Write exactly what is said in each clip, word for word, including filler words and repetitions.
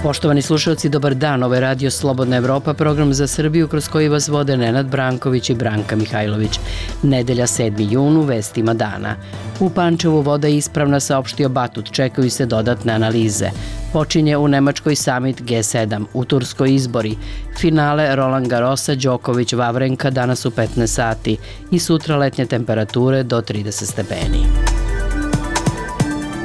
Poštovani slušalci, dobar dan. Ovo je Radio Slobodna Evropa, program za Srbiju kroz koji vas vode Nenad Branković i Branka Mihajlović. Nedelja sedmi jun u vestima dana. U Pančevu voda je ispravna, saopštio Batut, čekaju se dodatne analize. Počinje u Nemačkoj samit G sedam, u Turskoj izbori. Finale Roland Garrosa, Đoković, Vavrenka danas u petnaest sati i sutra letnje temperature do trideset stepeni.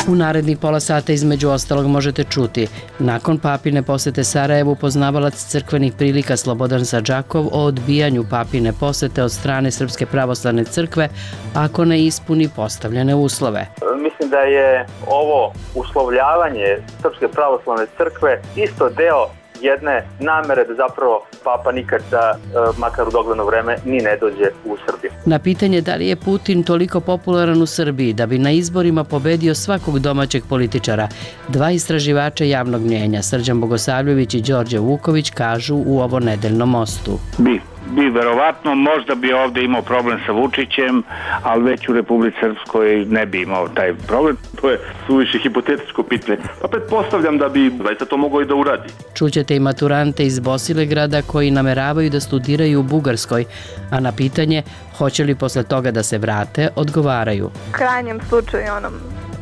U narednih pola sata između ostalog možete čuti: nakon papine posete Sarajevu, poznavalac crkvenih prilika Slobodan Sadžakov o odbijanju papine posete od strane Srpske pravoslavne crkve ako ne ispuni postavljene uslove. Mislim da je ovo uslovljavanje Srpske pravoslavne crkve isto deo jedne namere da zapravo Papa nikad, da, makar u dogledno vreme, ni ne dođe u Srbiju. Na pitanje da li je Putin toliko popularan u Srbiji da bi na izborima pobedio svakog domaćeg političara, dva istraživača javnog mnjenja, Srđan Bogosavljević i Đorđe Vuković, kažu u ovo nedeljnom mostu. Bi. Bi verovatno, možda bi ovde imao problem sa Vučićem, ali već u Republici Srpskoj ne bi imao taj problem. To je suviše hipotetičko pitanje. Pa pretpostavljam da bi zaista to mogao i da uradi. Čućete i maturante iz Bosilegrada koji nameravaju da studiraju u Bugarskoj, a na pitanje hoće li posle toga da se vrate, odgovaraju: u krajnjem slučaju onom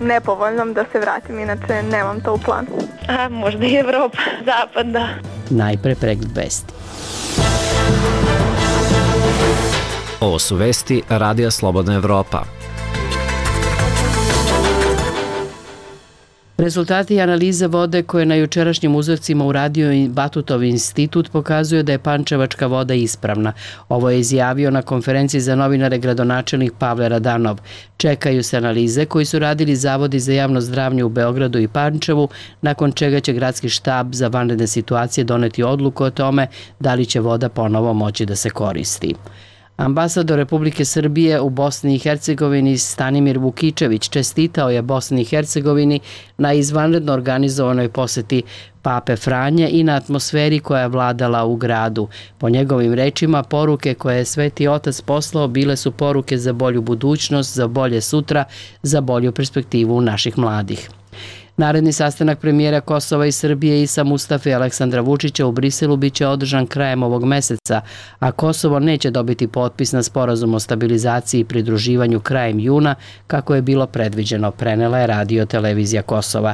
nepovoljnom da se vratim, inače nemam to u planu. A možda i Evropa, zapad, da. Najpre pregled vesti. Ovo su vesti Radija Slobodna Evropa. Rezultati analize vode koje na jučerašnjim uzorcima uradio Batutov institut pokazuju da je pančevačka voda ispravna. Ovo je izjavio na konferenciji za novinare gradonačelnik Pavle Radanov. Čekaju se analize koji su radili zavodi za javno zdravlje u Beogradu i Pančevu, nakon čega će gradski štab za vanredne situacije doneti odluku o tome da li će voda ponovo moći da se koristi. Ambasador Republike Srbije u Bosni i Hercegovini Stanimir Vukičević čestitao je Bosni i Hercegovini na izvanredno organizovanoj poseti Pape Franje i na atmosferi koja je vladala u gradu. Po njegovim rečima, poruke koje je Sveti Otac poslao bile su poruke za bolju budućnost, za bolje sutra, za bolju perspektivu naših mladih. Naredni sastanak premijera Kosova i Srbije Isa Mustafe i Aleksandra Vučića u Briselu biće održan krajem ovog meseca, a Kosovo neće dobiti potpis na sporazum o stabilizaciji i pridruživanju krajem juna, kako je bilo predviđeno, prenela je Radio televizija Kosova.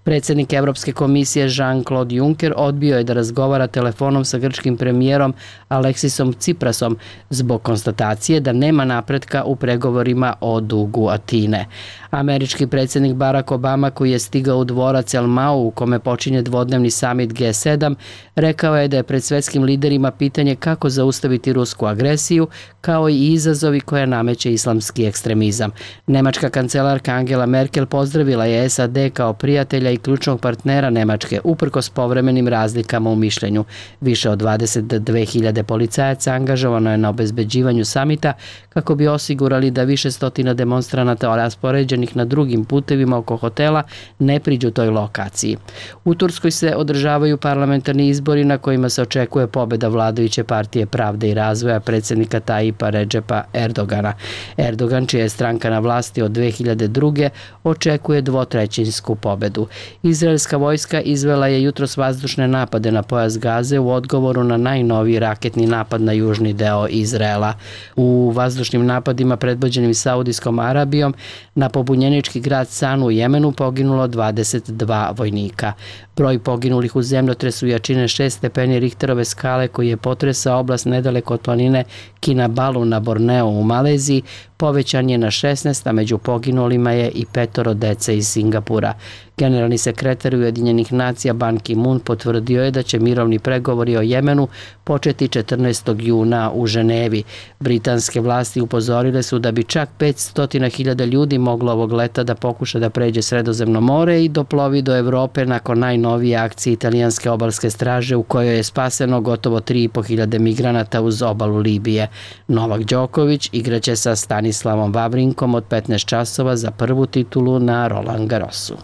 Predsjednik Evropske komisije Jean-Claude Juncker odbio je da razgovara telefonom sa grčkim premijerom Aleksisom Ciprasom zbog konstatacije da nema napretka u pregovorima o dugu Atine. Američki predsjednik Barack Obama, koji je stigao u dvorac El Mau u kome počinje dvodnevni samit G sedam, rekao je da je pred svetskim liderima pitanje kako zaustaviti rusku agresiju, kao i izazovi koje nameće islamski ekstremizam. Nemačka kancelarka Angela Merkel pozdravila je S A D kao prijatelja i ključnog partnera Nemačke, uprkos povremenim razlikama u mišljenju. Više od dvadeset dve hiljade policajaca angažovano je na obezbeđivanju samita kako bi osigurali da više stotina demonstranata raspoređenih na drugim putevima oko hotela ne priđu toj lokaciji. U Turskoj se održavaju parlamentarni izbori na kojima se očekuje pobeda vladajuće partije Pravde i razvoja predsjednika Tajipa Redžepa Erdogana. Erdogan, čija je stranka na vlasti od dve hiljade druge, očekuje dvotrećinsku pobedu. Izraelska vojska izvela je jutros vazdušne napade na pojas Gaze u odgovoru na najnoviji raketni napad na južni deo Izraela. U vazdušnim napadima predvođenim Saudijskom Arabijom na pobunjenički grad Sanu u Jemenu poginulo dvadeset dva vojnika. Broj poginulih u zemljotresu jačine šest stepeni Richterove skale koji je potresao oblast nedaleko od planine Kinabalu na Borneu u Maleziji povećan je na šesnaest, a među poginulima je i petoro dece iz Singapura. Generalni sekretar Ujedinjenih nacija Ban Ki-moon potvrdio je da će mirovni pregovori o Jemenu početi četrnaestog juna u Ženevi. Britanske vlasti upozorile su da bi čak petsto hiljada ljudi moglo ovog leta da pokuša da pređe Sredozemno more i doplovi do Evrope nakon najnovije akcije italijanske obalske straže u kojoj je spaseno gotovo tri i po hiljade migranata uz obalu Libije. Novak Đoković igraće sa Stanislavom Vavrinkom od petnaest časova za prvu titulu na Roland Garrosu.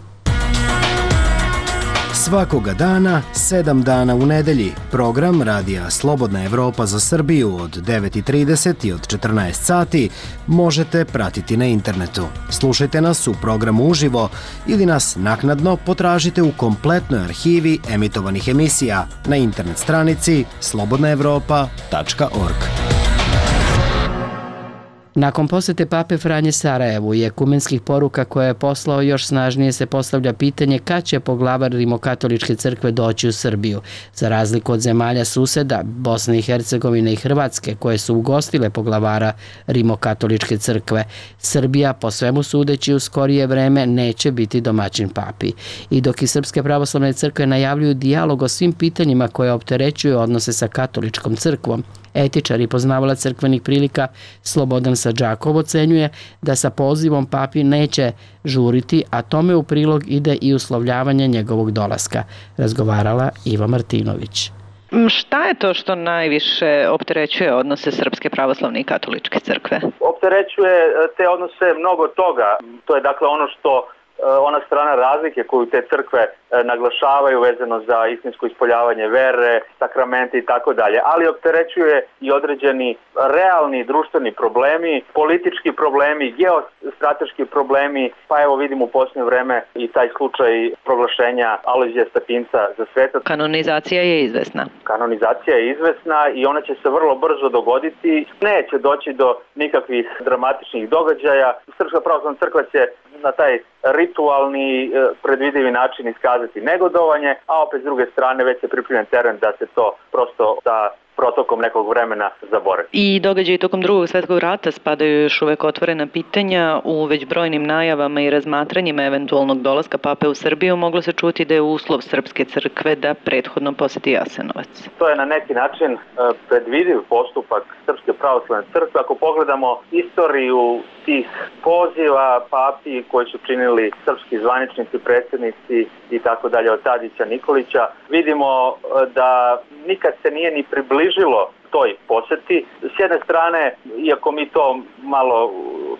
Svakoga dana, sedam dana u nedelji, program Radija Slobodna Evropa za Srbiju od devet i trideset i od četrnaest sati možete pratiti na internetu. Slušajte nas u programu uživo ili nas naknadno potražite u kompletnoj arhivi emitovanih emisija na internet stranici slobodna evropa tačka org. Nakon posete pape Franje Sarajevu i ekumenskih poruka koje je poslao, još snažnije se postavlja pitanje kad će poglavar Rimokatoličke crkve doći u Srbiju. Za razliku od zemalja suseda, Bosne i Hercegovine i Hrvatske, koje su ugostile poglavara Rimokatoličke crkve, Srbija, po svemu sudeći, u skorije vreme neće biti domaćin papi. I dok i Srpske pravoslavne crkve najavljuju dijalog o svim pitanjima koje opterećuju odnose sa katoličkom crkvom, etičar i poznavalac crkvenih prilika Slobodan Sadžakov ocenjuje da sa pozivom papi neće žuriti, a tome u prilog ide i uslovljavanje njegovog dolaska. Razgovarala Iva Martinović. Šta je to što najviše opterećuje odnose Srpske pravoslavne i katoličke crkve? Opterećuje te odnose mnogo toga. To je dakle ono što ona strana razlike koju te crkve naglašavaju vezano za istinsko ispoljavanje vere, sakramente i tako dalje, ali opterećuje i određeni realni društveni problemi, politički problemi, geostrateški problemi, pa evo vidimo u posljednje vreme i taj slučaj proglašenja Alojzija Stepinca za sveta. Kanonizacija je izvesna. Kanonizacija je izvesna i ona će se vrlo brzo dogoditi. Neće doći do nikakvih dramatičnih događaja. Srpska pravoslavna crkva će na taj ritualni, predvidivi način iskazati negodovanje, a opet s druge strane već se pripremljen teren da se to prosto sa protokom nekog vremena zaboravi. I događaji tokom drugog svjetskog rata spadaju još uvek otvorena pitanja. U već brojnim najavama i razmatranjima eventualnog dolaska pape u Srbiju moglo se čuti da je uslov Srpske crkve da prethodno poseti Jasenovac. To je na neki način predvidiv postupak Srpske pravoslavne crkve. Ako pogledamo istoriju tih poziva papi koji su činili srpski zvaničnici, predsjednici i tako dalje od Tadića, Nikolića, vidimo da nikad se nije ni približilo toj posjeti. S jedne strane, iako mi to malo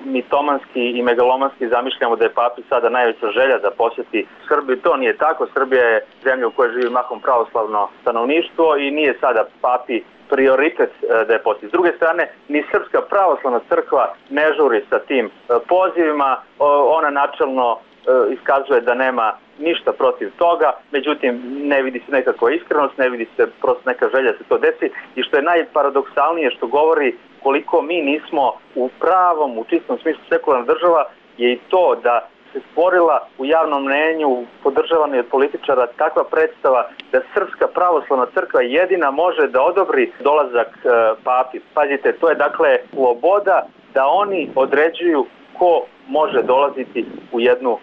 mitomanski i megalomanski zamišljamo da je papi sada najveća želja da posjeti Srbiju, to nije tako. Srbija je zemlja u kojoj živi mahom pravoslavno stanovništvo i nije sada papi prioritet da je posjeti. S druge strane, ni Srpska pravoslavna crkva ne žuri sa tim pozivima. Ona načelno iskazuje da nema ništa protiv toga, međutim ne vidi se nekakva iskrenost, ne vidi se prosto neka želja da se to desi i što je najparadoksalnije, što govori koliko mi nismo u pravom, u čistom smislu sekularna država, je i to da se stvorila u javnom mnenju, podržavana od političara, takva predstava da Srpska pravoslavna crkva jedina može da odobri dolazak e, papi. Pazite, to je dakle sloboda da oni određuju ko može dolaziti u jednu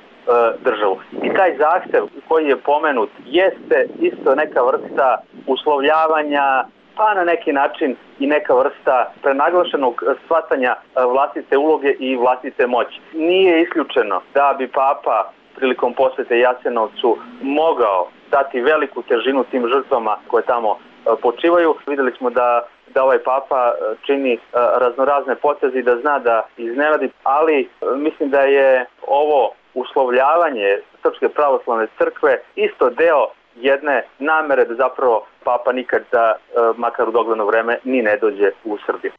državu. I taj zahtev koji je pomenut jeste isto neka vrsta uslovljavanja, pa na neki način i neka vrsta prenaglašenog shvatanja vlastite uloge i vlastite moći. Nije isključeno da bi papa prilikom posjete Jasenovcu mogao dati veliku težinu tim žrtvama koje tamo počivaju. Vidjeli smo da da ovaj papa čini raznorazne poteze i da zna da iznenadi, ali mislim da je ovo uslovljavanje Srpske pravoslavne crkve isto deo jedne namere da zapravo papa nikad da, makar u dogledno vreme, ni ne dođe u Srbiju.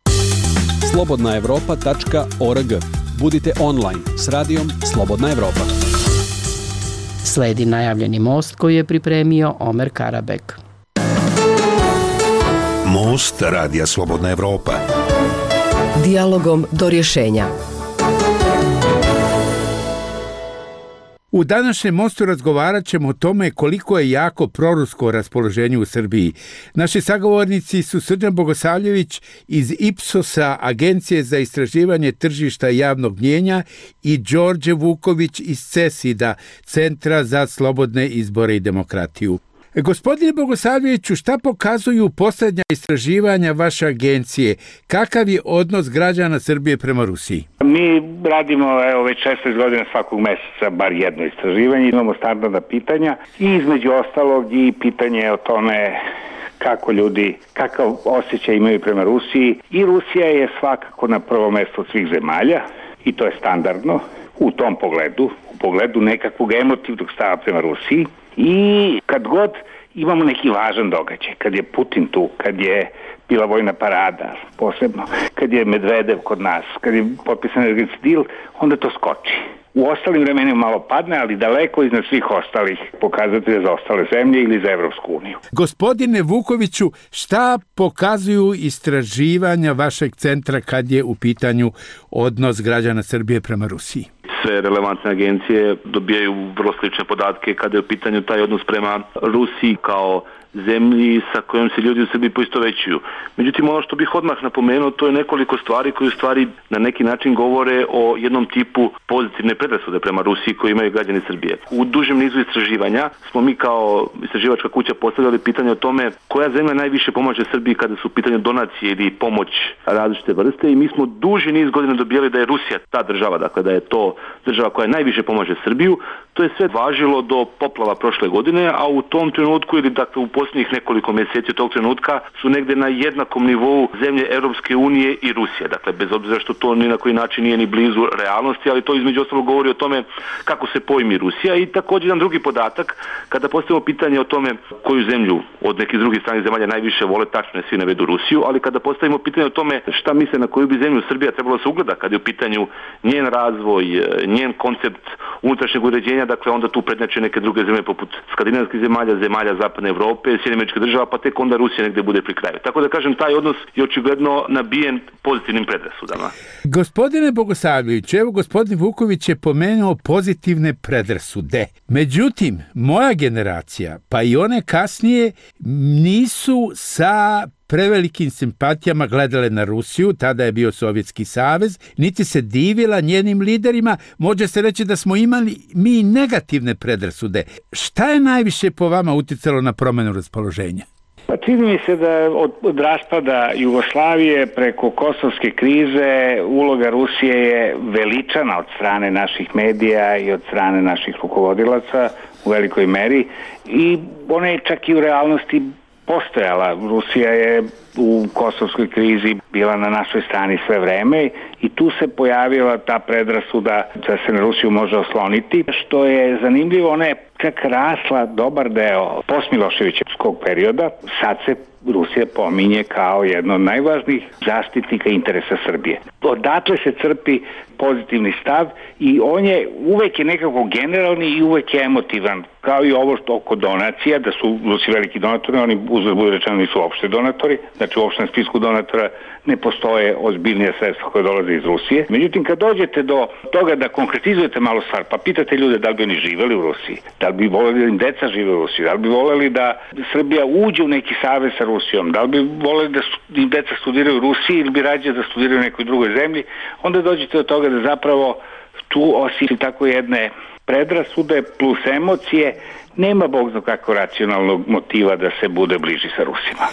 slobodna evropa tačka org. Budite online s radijom Slobodna Evropa. Sledi najavljeni most koji je pripremio Omer Karabek. Most Radija Slobodna Evropa. Dijalogom do rješenja. U današnjem mostu razgovarat ćemo o tome koliko je jako prorusko raspoloženje u Srbiji. Naši sagovornici su Srđan Bogosavljević iz Ipsosa, Agencije za istraživanje tržišta javnog mnijenja, i Đorđe Vuković iz CESID-a, Centra za slobodne izbore i demokratiju. Gospodine Bogosavljeviću, šta pokazuju posljednja istraživanja vaše agencije? Kakav je odnos građana Srbije prema Rusiji? Mi radimo evo, već šesnaest godina svakog mjeseca bar jedno istraživanje. Imamo standardna pitanja i između ostalog i pitanje o tome kako ljudi, kakav osjećaj imaju prema Rusiji. I Rusija je svakako na prvo mjesto od svih zemalja i to je standardno u tom pogledu, u pogledu nekakvog emotivnog stava prema Rusiji. I kad god imamo neki važan događaj, kad je Putin tu, kad je bila vojna parada, posebno, kad je Medvedev kod nas, kad je potpisan energetski deal, onda to skoči. U ostalim vremenima malo padne, ali daleko iznad svih ostalih pokazatelja za ostale zemlje ili za Evropsku uniju. Gospodine Vukoviću, šta pokazuju istraživanja vašeg centra kad je u pitanju odnos građana Srbije prema Rusiji? Sve relevantne agencije dobijaju vrlo slične podatke kada je u pitanju taj odnos prema Rusiji kao zemlji sa kojom se ljudi u Srbiji poistovećuju. Međutim, ono što bih odmah napomenuo, to je nekoliko stvari koje u stvari na neki način govore o jednom tipu pozitivne predrasude prema Rusiji koji imaju građani Srbije. U dužem nizu istraživanja smo mi kao istraživačka kuća postavljali pitanje o tome koja zemlja najviše pomaže Srbiji kada su u pitanju donacije ili pomoć različite vrste i mi smo duži niz godina dobijali da je Rusija ta država, dakle da je to država koja najviše pomaže Srbiju. To je sve važilo do poplava prošle godine, a u tom trenutku ili dakle u posljednjih nekoliko mjeseci od tog trenutka su negde na jednakom nivou zemlje Europske unije i Rusije. Dakle, bez obzira što to ni na koji način nije ni blizu realnosti, ali to između ostalog govori o tome kako se pojmi Rusija. I također jedan drugi podatak, kada postavimo pitanje o tome koju zemlju od nekih drugih stranih zemalja najviše vole, tačno je svi navedu Rusiju, ali kada postavimo pitanje o tome šta misle na koju bi zemlju Srbija trebalo se ugleda kada je u pitanju njen razvoj, njen koncept unutrašnjeg uređenja, dakle onda tu prednjače neke druge zemlje poput skandinavskih zemalja, zemalja Zapadne Evrope, Sjedinjenih Američkih Država, pa tek onda Rusija negde bude pri kraju. Tako da kažem, taj odnos je očigledno nabijen pozitivnim predrasudama. Gospodine Bogosavljević, evo gospodin Vuković je pomenuo pozitivne predrasude. Međutim, moja generacija, pa i one kasnije, nisu sa prevelikim simpatijama gledale na Rusiju, tada je bio Sovjetski savez, niti se divila njenim liderima, može se reći da smo imali mi negativne predrasude. Šta je najviše po vama uticalo na promenu raspoloženja? Pa čini mi se da od, od raspada Jugoslavije preko kosovske krize uloga Rusije je veličana od strane naših medija i od strane naših rukovodilaca u velikoj meri i ona je čak i u realnosti postojala. Rusija je u kosovskoj krizi bila na našoj strani sve vreme i tu se pojavila ta predrasuda da se na Rusiju može osloniti. Što je zanimljivo, ona je čak rasla dobar deo postmiloševićevskog perioda. Sad se Rusija pominje kao jedno od najvažnijih zaštitnika interesa Srbije. Odatle se crpi pozitivni stav i on je uvek je nekako generalni i uvek je emotivan. Kao i ovo što oko donacija, da su Rusi veliki donatori, oni uzgled bude rečeno nisu uopšte donatori, znači u opštem spisku donatora ne postoje ozbiljnije sredstva koje dolaze iz Rusije. Međutim, kad dođete do toga da konkretizujete malo stvar, pa pitate ljude da li bi oni živeli u Rusiji, da li bi voleli da im deca žive u Rusiji, da li bi voleli da Srbija uđe u neki savez sa Rusijom, da li bi voleli da im deca studiraju u Rusiji ili bi rađe da studiraju u nekoj drugoj zemlji, onda dođete do toga da zapravo tu osim tako jedne predrasude plus emocije nema bog zna kako racionalnog motiva da se bude bliži sa Rusima.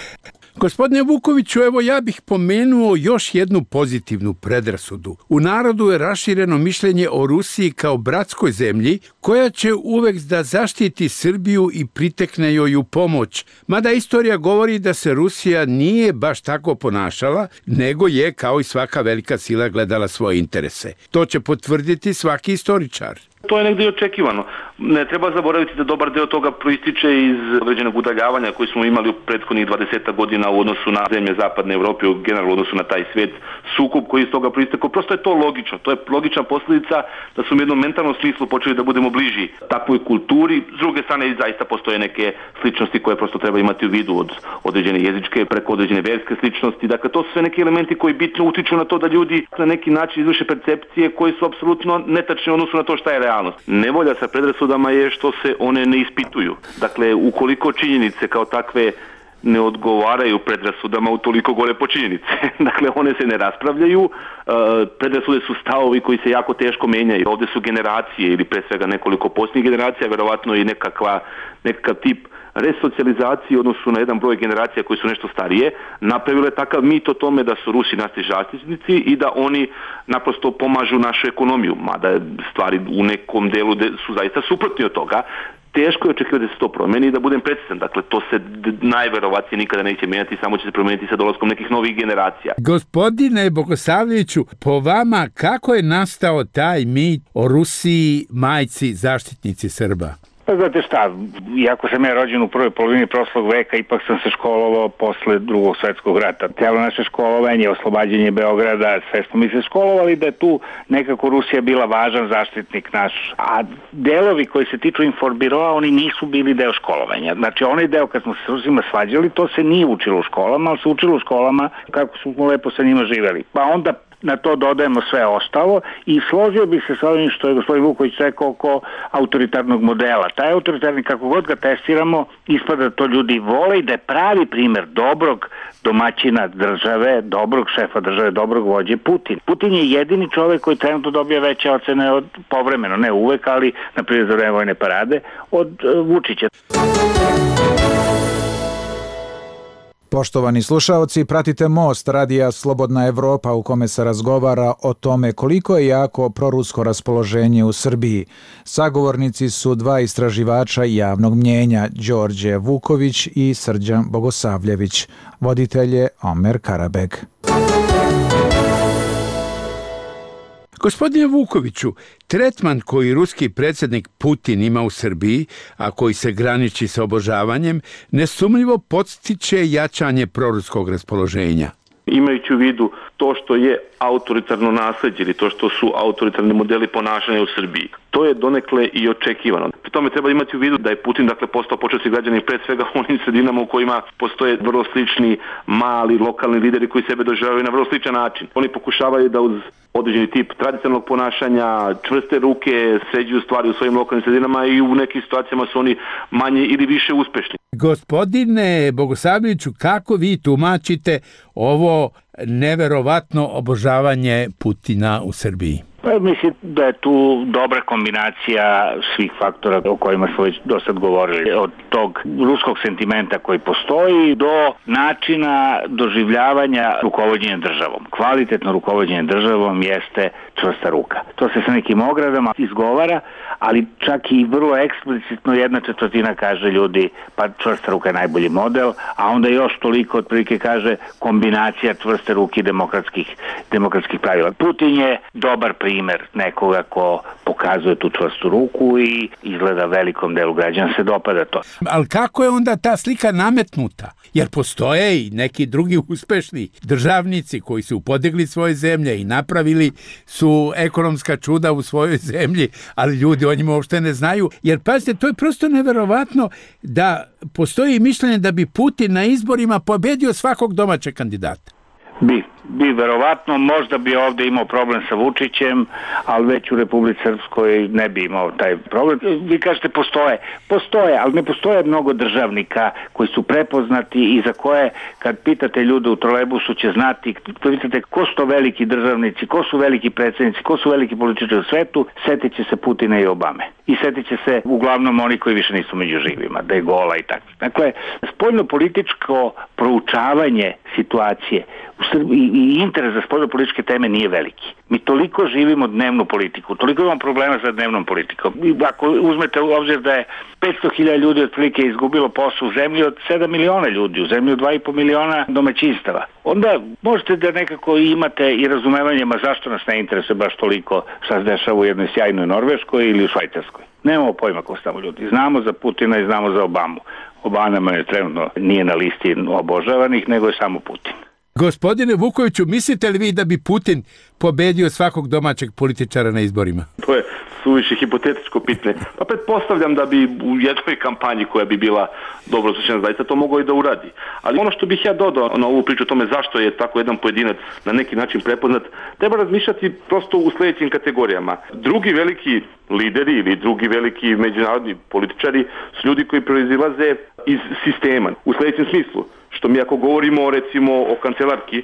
Gospodine Vukoviću, evo ja bih pomenuo još jednu pozitivnu predrasudu. U narodu je rašireno mišljenje o Rusiji kao bratskoj zemlji koja će uvek da zaštiti Srbiju i pritekne joj u pomoć. Mada istorija govori da se Rusija nije baš tako ponašala, nego je kao i svaka velika sila gledala svoje interese. To će potvrditi svaki istoričar. To je negdje očekivano. Ne treba zaboraviti da dobar deo toga proističe iz određenog udaljavanja koji smo imali u prethodnih dvadeset godina u odnosu na zemlje Zapadne Evrope, u generalnom odnosu na taj svijet, sukob koji iz toga proistekao. Prosto je to logično. To je logična posljedica da su u jednom mentalnom smislu počeli da budemo bliži takvoj kulturi. S druge strane, zaista postoje neke sličnosti koje prosto treba imati u vidu od određene jezičke preko određene verske sličnosti. Dakle, to su sve neki elementi koji bitno utiču na to da ljudi na neki način izvrše percepcije koje su apsolutno netačne u odnosu na to šta je realnost. Nevolja sa predrasudama je što se one ne ispituju. Dakle, ukoliko činjenice kao takve ne odgovaraju predrasudama, utoliko gore po činjenice. Dakle, one se ne raspravljaju, predrasude su stavovi koji se jako teško menjaju. Ovdje su generacije ili pre svega nekoliko posljednjih generacija, verovatno i nekakva, nekakav tip resocijalizacije u odnosu na jedan broj generacija koji su nešto starije, napravile takav mit o tome da su Rusi naši zaštitnici i da oni naprosto pomažu našu ekonomiju, mada stvari u nekom delu su zaista suprotni od toga. Teško je očekivati da se to promeni i da budem precizan. Dakle, to se najverovatnije nikada neće mijenjati, samo će se promijeniti sa dolaskom nekih novih generacija. Gospodine Bogosavljeviću, po vama kako je nastao taj mit o Rusiji, majci, zaštitnici Srba? Pa znate šta, iako sam ja rođen u prvoj polovini prošlog veka, ipak sam se školovao posle drugog svetskog rata. Cijelo naše školovanje, oslobađanje Beograda, sve smo mi se školovali da je tu nekako Rusija bila važan zaštitnik naš. A delovi koji se tiču informbiroa, oni nisu bili deo školovanja. Znači onaj deo kad smo se s Rusima svađali, to se nije učilo u školama, ali se učilo u školama kako smo lepo sa njima živeli. Pa onda na to dodajemo sve ostalo i složio bih se sa ovim što je gospodin Vuković rekao oko autoritarnog modela. Taj autoritarni, kako god ga testiramo, ispada da to ljudi vole i da je pravi primer dobrog domaćina države, dobrog šefa države, dobrog vođe Putin. Putin je jedini čovjek koji trenutno dobija veće ocene od povremeno, ne uvek, ali na primjer za vreme vojne parade, od uh, Vučića. Poštovani slušaoci, pratite Most radija Slobodna Evropa u kome se razgovara o tome koliko je jako prorusko raspoloženje u Srbiji. Sagovornici su dva istraživača javnog mnjenja, Đorđe Vuković i Srđan Bogosavljević. Voditelj je Omer Karabeg. Gospodine Vukoviću, tretman koji ruski predsjednik Putin ima u Srbiji, a koji se graniči sa obožavanjem, nesumnjivo podstiče jačanje proruskog raspoloženja. Imajući u vidu to što je autoritarno nasleđe ili to što su autoritarni modeli ponašanja u Srbiji. To je donekle i očekivano. Pri tome treba imati u vidu da je Putin dakle postao početni građanin pre svega u onim sredinama u kojima postoje vrlo slični mali lokalni lideri koji sebe doživljavaju na vrlo sličan način. Oni pokušavaju da uz određeni tip tradicionalnog ponašanja, čvrste ruke, sređuju stvari u svojim lokalnim sredinama i u nekim situacijama su oni manje ili više uspešni. Gospodine Bogosavljeviću, kako vi tumačite ovo neverovatno obožavanje Putina u Srbiji? Pa mislim da je tu dobra kombinacija svih faktora o kojima smo već do sad govorili. Od tog ruskog sentimenta koji postoji do načina doživljavanja rukovođenja državom. Kvalitetno rukovođenje državom jeste čvrsta ruka. To se sa nekim ogradama izgovara, ali čak i vrlo eksplicitno jedna četvrtina kaže ljudi pa čvrsta ruka je najbolji model, a onda još toliko otprilike kaže kombinacija čvrste ruke i demokratskih, demokratskih pravila. Putin je dobar primer nekoga ko pokazuje tu čvrstu ruku i izgleda velikom delu građana se dopada to. Ali kako je onda ta slika nametnuta? Jer postoje i neki drugi uspešni državnici koji su podigli svoje zemlje i napravili su ekonomska čuda u svojoj zemlji, ali ljudi o njima uopšte ne znaju. Jer pazite, to je prosto neverovatno da postoji mišljenje da bi Putin na izborima pobedio svakog domaćeg kandidata. Bi, bi verovatno, možda bi ovdje imao problem sa Vučićem, ali već u Republici Srpskoj ne bi imao taj problem. Vi kažete postoje, postoje, ali ne postoje mnogo državnika koji su prepoznati i za koje kad pitate ljude u trolejbusu će znati, pitate ko su to veliki državnici, ko su veliki predsjednici, ko su veliki političari u svetu, setit će se Putina i Obame. I setit će se uglavnom oni koji više nisu među živima, da je Gola i tako. Dakle, spoljno-političko proučavanje situacije u Srbiji i interes za spoljno-političke teme nije veliki. Mi toliko živimo dnevnu politiku, toliko imamo problema sa dnevnom politikom. I ako uzmete u obzir da je petsto hiljada ljudi otprilike izgubilo posao u zemlji od sedam miliona ljudi, u zemlji od dva i po miliona domaćinstava, onda možete da nekako imate i razumevanje, ma zašto nas ne interesuje baš toliko šta se dešava u jednoj sjajnoj Norveškoj ili u Švajcarskoj. Nemamo pojma ko su tamo ljudi. Znamo za Putina i znamo za Obamu. Obama je trenutno nije na listi obožavanih, nego je samo Putin. Gospodine Vukoviću, mislite li vi da bi Putin pobedio svakog domaćeg političara na izborima? To je suviše hipotetičko pitanje. Pa pretpostavljam da bi u jednoj kampanji koja bi bila dobro slučajna zaista to mogao i da uradi. Ali ono što bih ja dodao na ovu priču o tome zašto je tako jedan pojedinac na neki način prepoznat, treba razmišljati prosto u sljedećim kategorijama. Drugi veliki lideri ili drugi veliki međunarodni političari su ljudi koji proizilaze iz sistema. U sljedećem smislu, što mi ako govorimo recimo o kancelarki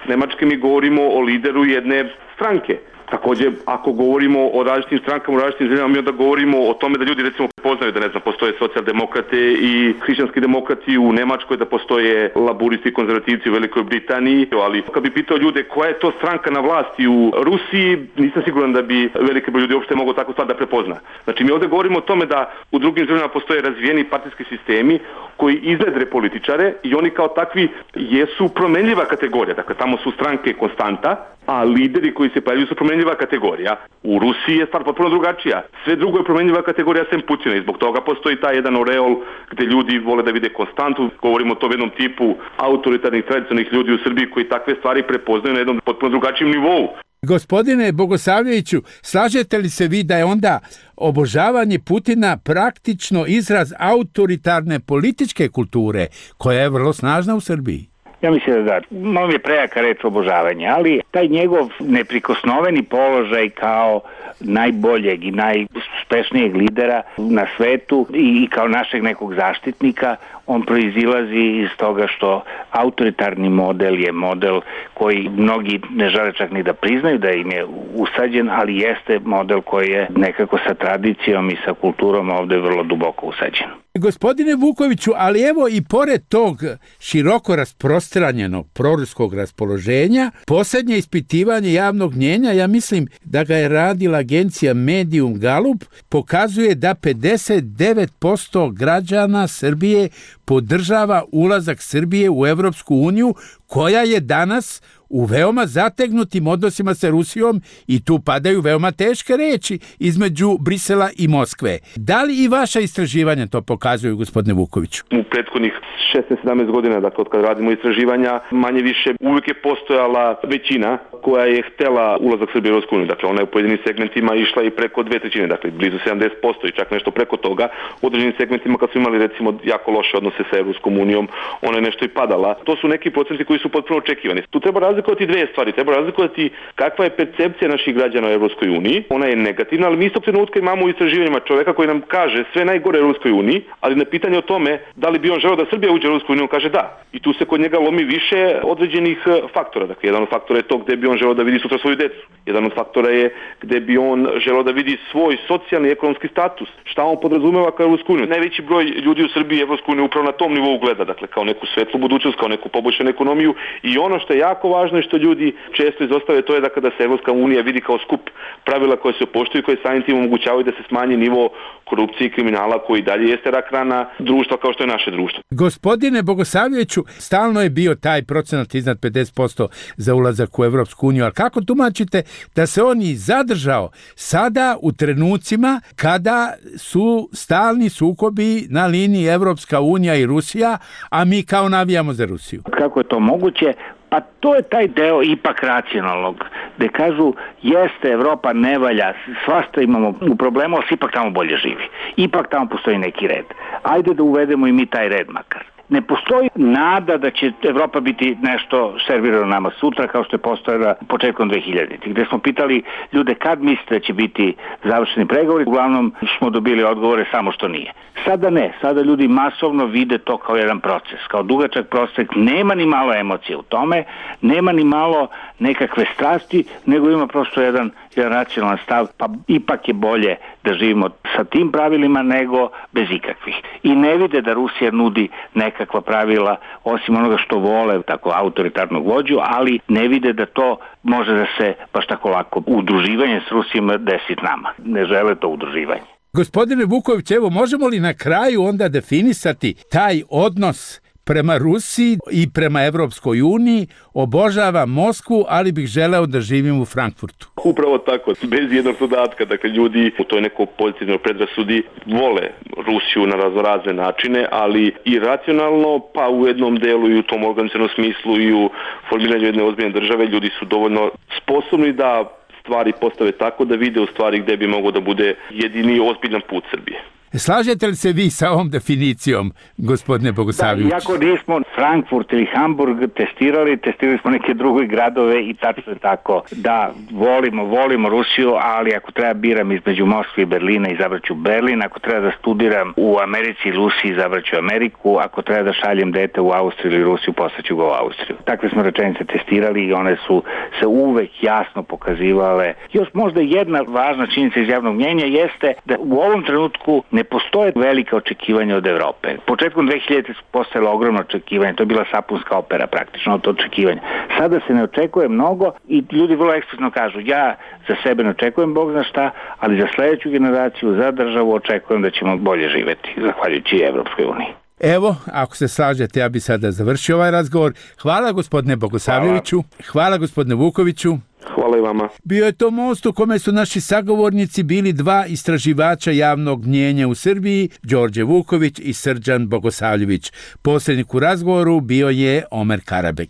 Nemačke, mi govorimo o lideru jedne stranke. Također, ako govorimo o različitim strankama u različitim zemljama, mi onda govorimo o tome da ljudi recimo prepoznaju da ne znam, postoje socijaldemokrate i hrišćanski demokrati u Nemačkoj, da postoje laburisti i konzervativci u Velikoj Britaniji, ali kad bi pitao ljude koja je to stranka na vlasti u Rusiji, nisam siguran da bi veliki broj ljudi uopšte mogao takvu stvar da prepozna. Znači mi ovdje govorimo o tome da u drugim zemljama postoje razvijeni partijski sistemi koji iznedre političare i oni kao takvi jesu promenljiva kategorija. Dakle, tamo tamo su stranke konstanta, a lideri koji se pojavljaju su promenljiva kategorija. U Rusiji je stvar potpuno drugačija. Sve drugo je promenljiva kategorija sem Putina i zbog toga postoji taj jedan oreol gde ljudi vole da vide konstantu. Govorimo o tom jednom tipu autoritarnih, tradicionalnih ljudi u Srbiji koji takve stvari prepoznaju na jednom potpuno drugačijem nivou. Gospodine Bogosavljeviću, slažete li se vi da je onda obožavanje Putina praktično izraz autoritarne političke kulture koja je vrlo snažna u Srbiji? Ja mislim da da, malo mi je prejaka reč obožavanje, ali taj njegov neprikosnoveni položaj kao najboljeg i najuspešnijeg lidera na svetu i kao našeg nekog zaštitnika, on proizilazi iz toga što autoritarni model je model koji mnogi ne žele čak ni da priznaju da im je usađen, ali jeste model koji je nekako sa tradicijom i sa kulturom ovde vrlo duboko usađen. Gospodine Vukoviću, ali evo i pored tog široko rasprostranjenog proruskog raspoloženja, posljednje ispitivanje javnog mnjenja, ja mislim da ga je radila agencija Medium Galup, pokazuje da pedeset devet posto građana Srbije podržava ulazak Srbije u Evropsku uniju, koja je danas u veoma zategnutim odnosima sa Rusijom i tu padaju veoma teške reči između Brisela i Moskve. Da li i vaša istraživanja to pokazuju, gospodine Vukoviću? U prethodnih šesnaest sedamnaest godina, dakle od kad radimo istraživanja, manje više uvijek je postojala većina koja je htela ulazak Srbije u Evropsku uniju. Dakle, ona je u pojedinim segmentima išla i preko dve trećine, dakle blizu sedamdeset posto i čak nešto preko toga. U određenim segmentima kad su imali recimo jako loše odnose sa Evropskom unijom, ona je nešto i padala. To su neki procenti koji su potpuno očekivani. Tu treba razlikovati dve stvari. Treba razlikovati kakva je percepcija naših građana u Evropskoj uniji. Ona je negativna, ali mi istog trenutka imamo u istraživanjima čoveka koji nam kaže sve najgore u Evropskoj uniji, ali na pitanje o tome da li bi on želeo da Srbija uđe u Evropsku uniju, on kaže da. I tu se kod njega lomi više određenih faktora. Dakle, jedan od faktora je to gde bi on želeo da vidi sutra svoju decu. Jedan od faktora je gde bi on želeo da vidi svoj socijalni i ekonomski status. Šta on podrazumeva kao Evropsku uniju? Najveći broj ljudi u Srbiji Evropsku uniju upravo na tom nivou gleda, dakle kao neku svetlu budućnost, kao neku poboljšanu ekonomiju i ono što je jako važno i što ljudi često izostave, to je da kada se Evropska unija vidi kao skup pravila koje se poštuju i koje samim tim omogućavaju da se smanji nivo korupcije i kriminala koji dalje jeste rak rana društva kao što je naše društvo. Gospodine Bogosavljeviću, stalno je bio taj procenat iznad pedeset posto za ulazak u Evropsku uniju, ali kako tumačite da se on i zadržao sada u trenucima kada su stalni sukobi na liniji Evropska unija i Rusija, a mi kao navijamo za Rusiju? Kako je to moguće? Pa to je taj deo ipak racionalnog, gde kažu jeste, Evropa ne valja, svašta imamo u problemu, ali ipak tamo bolje živi. Ipak tamo postoji neki red. Ajde da uvedemo i mi taj red makar. Ne postoji nada da će Evropa biti nešto servirano nama sutra kao što je postojala početkom dve hiljaditih, gde smo pitali ljude kad mislite da će biti završeni pregovori, uglavnom smo dobili odgovore samo što nije. Sada ne, sada ljudi masovno vide to kao jedan proces, kao dugačak proces, nema ni malo emocije u tome, nema ni malo nekakve strasti, nego ima prosto jedan, jedan racionalan stav, pa ipak je bolje da živimo sa tim pravilima nego bez ikakvih. I ne vide da Rusija nudi nekakva pravila, osim onoga što vole, tako autoritarnog vođu, ali ne vide da to može da se baš tako lako udruživanje s Rusijom desi nama. Ne žele to udruživanje. Gospodine Vuković, evo, možemo li na kraju onda definisati taj odnos prema Rusiji i prema Evropskoj uniji? Obožavam Moskvu, ali bih želeo da živim u Frankfurtu. Upravo tako, bez jednog dodatka. Dakle, ljudi u toj nekoj pozitivnoj predrasudi vole Rusiju na raznorazne načine, ali i racionalno, pa u jednom delu i u tom organizacionom smislu i u formiranju jedne ozbiljne države, ljudi su dovoljno sposobni da stvari postave tako da vide u stvari gde bi mogao da bude jedini ozbiljan put Srbije. Slažete li se vi sa ovom definicijom, gospodine Bogosavljević? Da, iako nismo Frankfurt ili Hamburg testirali, testirali smo neke druge gradove i tačno je tako da volimo, volimo Rusiju, ali ako treba biram između Moskve i Berlina, izabraću Berlin, ako treba da studiram u Americi ili Rusiji, izabraću Ameriku, ako treba da šaljem dete u Austriju ili Rusiju, poslaću ga u Austriju. Takve smo rečenice testirali i one su se uvek jasno pokazivale. Još možda jedna važna činjenica iz javnog mnjenja jeste da u ovom trenutku ne postoje velike očekivanja od Evrope. Početkom dve hiljadite su postojala ogromno očekivanja, to je bila sapunska opera praktično od očekivanja. Sada se ne očekuje mnogo i ljudi vrlo eksplicitno kažu ja za sebe ne očekujem Bog zna šta, ali za sledeću generaciju, za državu očekujem da ćemo bolje živeti, zahvaljujući Evropskoj uniji. Evo, ako se slažete, ja bi sada završio ovaj razgovor. Hvala gospodine Bogosavljeviću, hvala, hvala gospodine Vukoviću. Hvala i vama. Bio je to most u kome su naši sagovornici bili dva istraživača javnog mnjenja u Srbiji, Đorđe Vuković i Srđan Bogosavljević. Posrednik u razgovoru bio je Omer Karabek.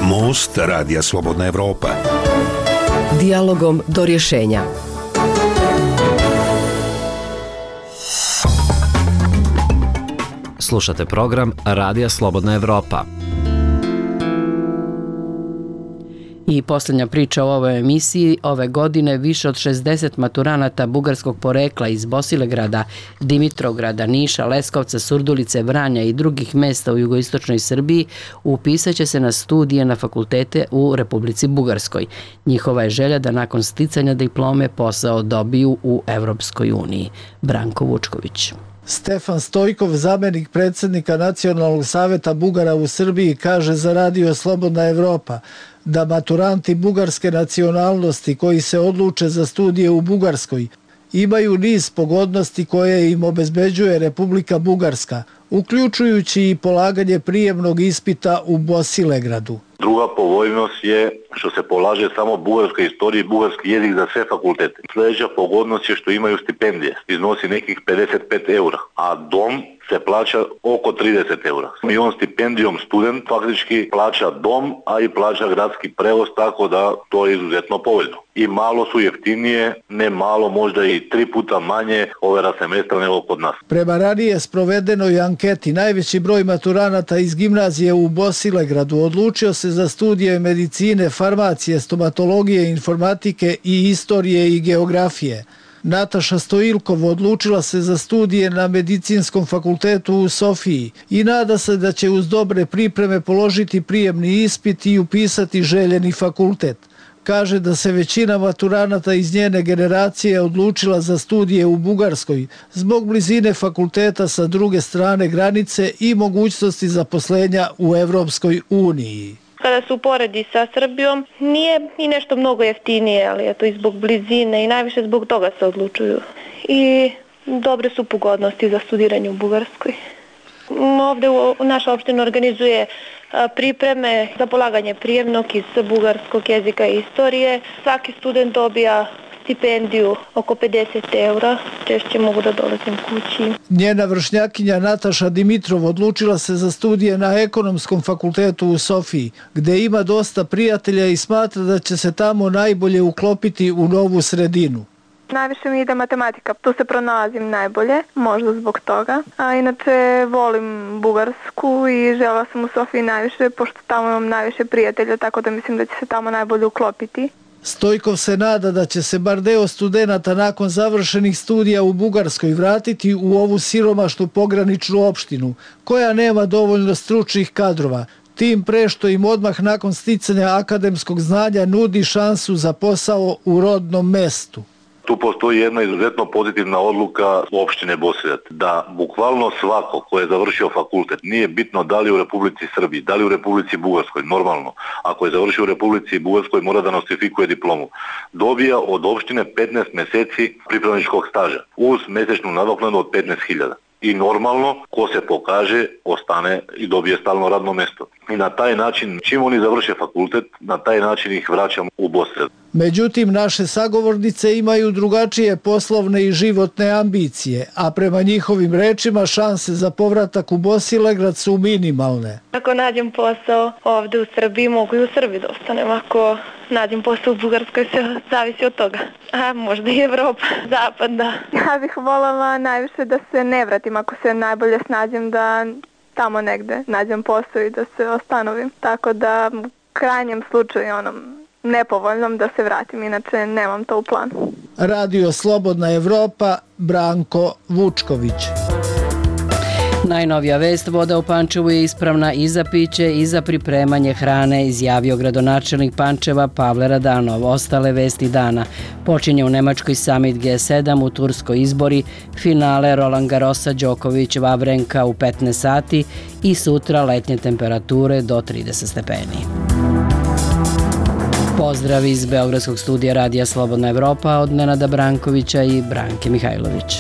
Most Radija Slobodna Evropa. Dijalogom do rješenja. Slušate program Radija Slobodna Evropa. I posljednja priča o ovoj emisiji. Ove godine više od šezdeset maturanata bugarskog porekla iz Bosilegrada, Dimitrovgrada, Niša, Leskovca, Surdulice, Vranja i drugih mesta u jugoistočnoj Srbiji upisat će se na studije na fakultete u Republici Bugarskoj. Njihova je želja da nakon sticanja diplome posao dobiju u Evropskoj uniji. Branko Vučković. Stefan Stojkov, zamenik predsjednika Nacionalnog saveta Bugara u Srbiji, kaže za Radio Slobodna Evropa da maturanti bugarske nacionalnosti koji se odluče za studije u Bugarskoj imaju niz pogodnosti koje im obezbeđuje Republika Bugarska, uključujući i polaganje prijemnog ispita u Bosilegradu. Druga povoljnost je što se polaže samo bugarska istorija i bugarski jezik za sve fakultete. Sljedeća pogodnost je što imaju stipendije, iznosi nekih pedeset pet eura, a dom se plaća oko trideset eura. I on stipendijom student faktički plaća dom, a i plaća gradski prevoz, tako da to je izuzetno povoljno. I malo su jeftinije, ne malo, možda i tri puta manje overa semestra nego kod nas. Prema ranije sprovedenoj anketi, najveći broj maturanata iz gimnazije u Bosilegradu odlučio se za studije medicine, farmacije, stomatologije, informatike i istorije i geografije. Nataša Stojilkov odlučila se za studije na Medicinskom fakultetu u Sofiji i nada se da će uz dobre pripreme položiti prijemni ispit i upisati željeni fakultet. Kaže da se većina maturanata iz njene generacije odlučila za studije u Bugarskoj zbog blizine fakulteta sa druge strane granice i mogućnosti zaposlenja u Evropskoj uniji. Kada se uporedi sa Srbijom, nije i nešto mnogo jeftinije, ali je to i zbog blizine i najviše zbog toga se odlučuju. I dobre su pogodnosti za studiranje u Bugarskoj. Ovdje u naša opština organizuje pripreme za polaganje prijemnog iz bugarskog jezika i istorije. Svaki student dobija stipendiju oko pedeset eura, češće mogu da dolazim kući. Njena vršnjakinja Nataša Dimitrov odlučila se za studije na Ekonomskom fakultetu u Sofiji, gde ima dosta prijatelja i smatra da će se tamo najbolje uklopiti u novu sredinu. Najviše mi ide matematika, tu se pronalazim najbolje, možda zbog toga. A inače volim Bugarsku i želela sam u Sofiji najviše, pošto tamo imam najviše prijatelja, tako da mislim da će se tamo najbolje uklopiti. Stojkov se nada da će se bar deo studenata nakon završenih studija u Bugarskoj vratiti u ovu siromašnu pograničnu opštinu, koja nema dovoljno stručnih kadrova, tim pre što im odmah nakon sticanja akademskog znanja nudi šansu za posao u rodnom mestu. Tu postoji jedna izuzetno pozitivna odluka opštine Bosilegrad, da bukvalno svako ko je završio fakultet, nije bitno da li u Republici Srbiji, da li u Republici Bugarskoj, normalno, ako je završio u Republici Bugarskoj mora da nostrifikuje diplomu, dobija od opštine petnaest meseci pripravničkog staža uz mesečnu nadoknadu od petnaest hiljada. I normalno, ko se pokaže, ostane i dobije stalno radno mesto. I na taj način, čim oni završe fakultet, na taj način ih vraćamo u Bosilegrad. Međutim, naše sagovornice imaju drugačije poslovne i životne ambicije, a prema njihovim rečima šanse za povratak u Bosilegrad su minimalne. Ako nađem posao ovdje u Srbiji, mogu i u Srbiji da ostanem. Ako nađem posao u Bugarskoj, se zavisi od toga. A možda i Evropa, Zapad, da. Ja bih voljela najviše da se ne vratim, ako se najbolje snađem da tamo negde nađem posao i da se ostanovim. Tako da u krajnjem slučaju onom nepovoljnom da se vratim, inače nemam to u planu. Radio Slobodna Evropa, Branko Vučković. Najnovija vest, voda u Pančevu je ispravna i za piće i za pripremanje hrane, izjavio gradonačelnik Pančeva Pavle Radanov. Ostale vesti dana. Počinje u Nemačkoj summit G sedam, u Turskoj izbori, finale Roland Garrosa, Đoković, Vavrenka u petnaest sati i sutra letnje temperature do trideset stepeni. Pozdrav iz Beogradskog studija Radija Slobodna Evropa od Nenada Brankovića i Branke Mihajlović.